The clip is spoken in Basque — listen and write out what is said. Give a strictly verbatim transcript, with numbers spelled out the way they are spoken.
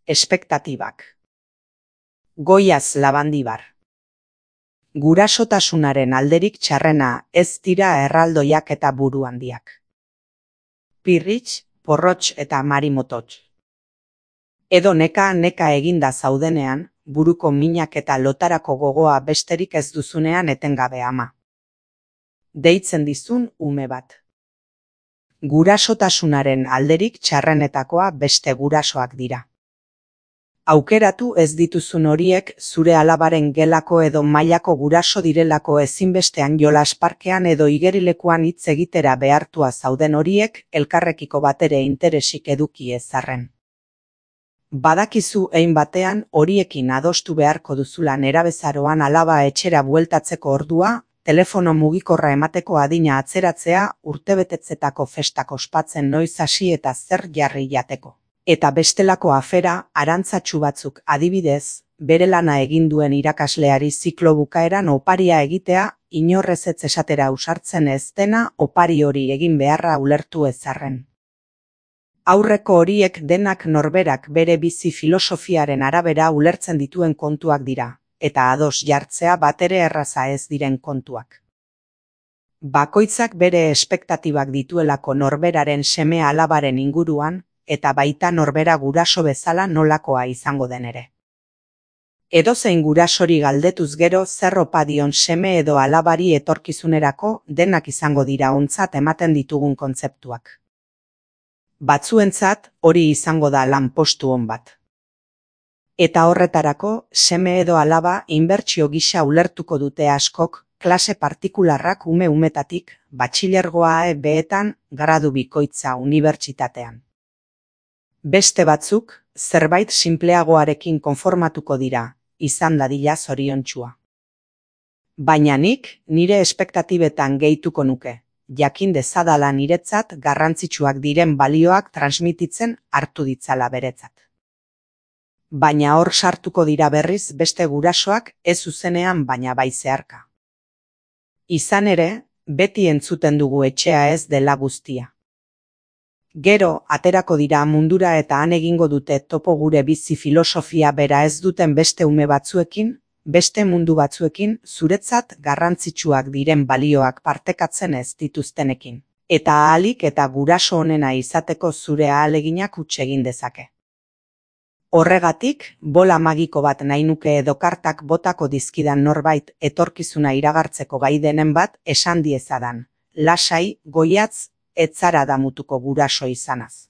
Espektatibak. Goiaz Labandibar. Gurasotasunaren alderik txarrena ez dira erraldoiak eta buru handiak. Pirritx, porrotx eta marimotots. Edo neka neka eginda zaudenean, buruko minak eta lotarako gogoa besterik ez duzunean etengabe ama. Deitzen dizun ume bat. Gurasotasunaren alderik txarrenetakoa beste gurasoak dira. Aukeratu ez dituzun horiek zure alabaren gelako edo mailako guraso direlako ezinbestean jolas parkean edo igerilekuan hitz egitera behartua zauden horiek elkarrekiko batere interesik eduki ezarren. Badakizu hein batean horiekin adostu beharko duzula nerabezaroan alaba etxera bueltatzeko ordua, telefono mugikorra emateko adina atzeratzea, urtebetetzetako festak ospatzen noiz hasi eta zer jarri jateko. Eta bestelako afera, arantzatsu batzuk adibidez, bere lana egin duen irakasleari ziklo bukaeran oparia egitea, inorrez ez esatera ausartzen ez dena opari hori egin beharra ulertu ezarren. Aurreko horiek denak norberak bere bizi filosofiaren arabera ulertzen dituen kontuak dira, eta ados jartzea batere erraza ez diren kontuak. Bakoitzak bere espektatibak dituelako norberaren seme alabaren inguruan, eta baita norbera guraso bezala nolakoa izango den ere. Edozein gurasori galdetuz gero zer opa dion seme edo alabari etorkizunerako denak izango dira ontzat ematen ditugun kontzeptuak. Batzuentzat hori izango da lanpostu on bat. Eta horretarako seme edo alaba inbertsio gisa ulertuko dute askok, klase partikularrak ume umetatik, batxilergoa E Beetan, gradu bikoitza unibertsitatean. Beste batzuk, zerbait sinpleagoarekin konformatuko dira, izan dadila zoriontsua. Baina nik, nire espektatibetan gehituko nuke, jakin dezadala niretzat garrantzitsuak diren balioak transmititzen hartu ditzala beretzat. Baina hor sartuko dira berriz beste gurasoak ez zuzenean baina bai zeharka. Izan ere, beti entzuten dugu etxea ez dela guztia. Gero, aterako dira mundura eta han egingo dute topo gure bizi filosofia bera ez duten beste ume batzuekin, beste mundu batzuekin, zuretzat garrantzitsuak diren balioak partekatzen ez dituztenekin. Eta ahalik eta guraso onena izateko zure ahaleginak huts egin dezake. Horregatik, bola magiko bat nahi nuke edo kartak botako dizkidan norbait etorkizuna iragartzeko gai denen bat esan diezadan. Lasai, goiatz, ez zara damutuko guraso izanaz.